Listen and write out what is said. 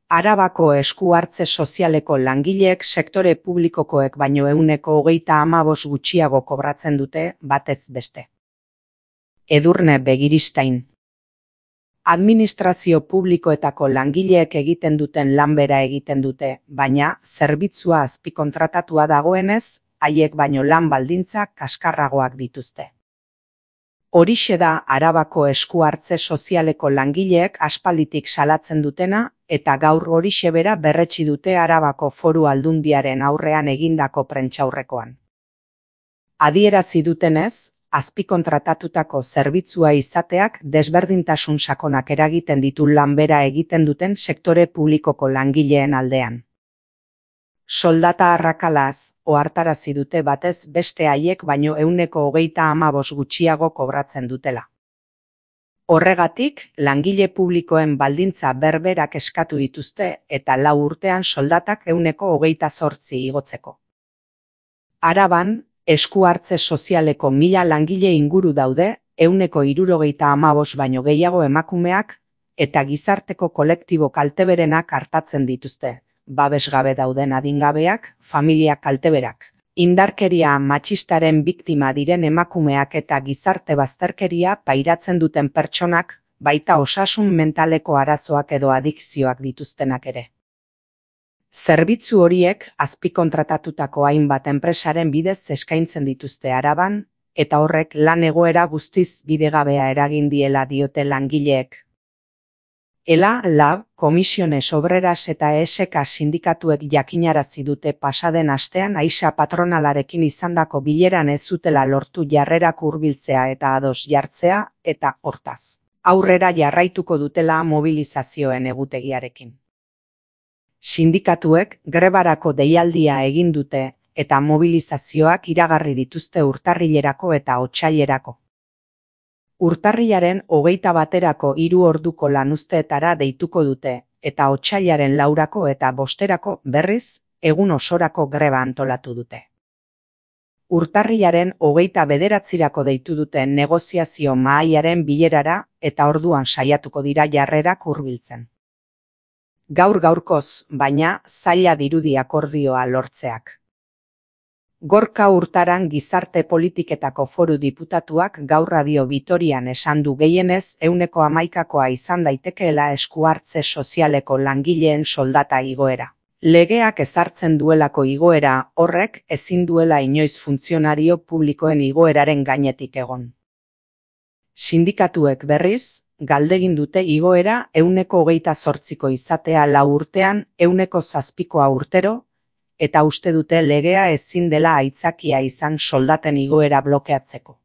Arabako esku-hartze sozialeko langileek sektore publikokoek baino 35% gutxiago kobratzen dute batez beste. Edurne Begiristain. Administrazio publikoetako langileek egiten duten lan bera egiten dute, baina zerbitzua azpikontratatua dagoenez, haiek baino lan baldintzak kaskarragoak dituzte. Horixe da Arabako esku-hartze sozialeko langileek aspalditik salatzen dutena, eta gaur horixe bera berretsi dute Arabako Foru Aldundiaren aurrean egindako prentsaurrekoan. Adierazi dutenez, azpikontratatutako zerbitzua izateak desberdintasun sakonak eragiten ditu lan bera egiten duten sektore publikoko langileen aldean. Soldata arrakalaz, ohartarazi dute batez beste haiek baino 35% gutxiago kobratzen dutela. Horregatik, langile publikoen baldintza berberak eskatu dituzte eta 4 urtean soldatak 28% igotzeko. Araban, esku-hartze sozialeko 1000 langile inguru daude, 75% baino gehiago emakumeak, eta gizarteko kolektibo kalteberenak artatzen dituzte. Babesgabe dauden adingabeak, familia kalteberak. Indarkeria matxistaren biktima diren emakumeak eta gizarte bazterkeria pairatzen duten pertsonak, baita osasun mentaleko arazoak edo adikzioak dituztenak ere. Zerbitzu horiek azpikontratatutako hainbat enpresaren bidez eskaintzen dituzte Araban, eta horrek lan egoera guztiz bidegabea eragin diela diote langileek. ELA, LAB, Komisiones Obreras eta ESK sindikatuek jakinarazi dute pasaden astean Aixa patronalarekin izandako bileran ez zutela lortu jarrerak hurbiltzea eta ados jartzea, eta hortaz. Aurrera jarraituko dutela mobilizazioen egutegiarekin. Sindikatuek grebarako deialdia egin dute eta mobilizazioak iragarri dituzte urtarrilerako eta otsailerako. Urtarrilaren 21erako 3 orduko lanuzteetara deituko dute, eta otsailaren 4 eta 5erako berriz, egun osorako greba antolatu dute. Urtarrilaren 29erako deitu dute negoziazio mahaiaren bilerara eta orduan saiatuko dira jarrerak hurbiltzen. Gaur-gaurkoz, baina, zaila dirudi akordioa lortzeak. Gorka Urtaran Gizarte Politiketako Foru Diputatuak gaur Radio Vitorian esan du gehienez 11%koa izan daitekeela esku-hartze sozialeko langileen soldata igoera. Legeak ezartzen duelako igoera horrek ezin duela inoiz funtzionario publikoen igoeraren gainetik egon. Sindikatuek berriz, galdegin dute igoera 28%ko izatea 4 urtean 7%koa urtero, eta uste dute legea ezin dela aitzakia izan soldaten igoera blokeatzeko.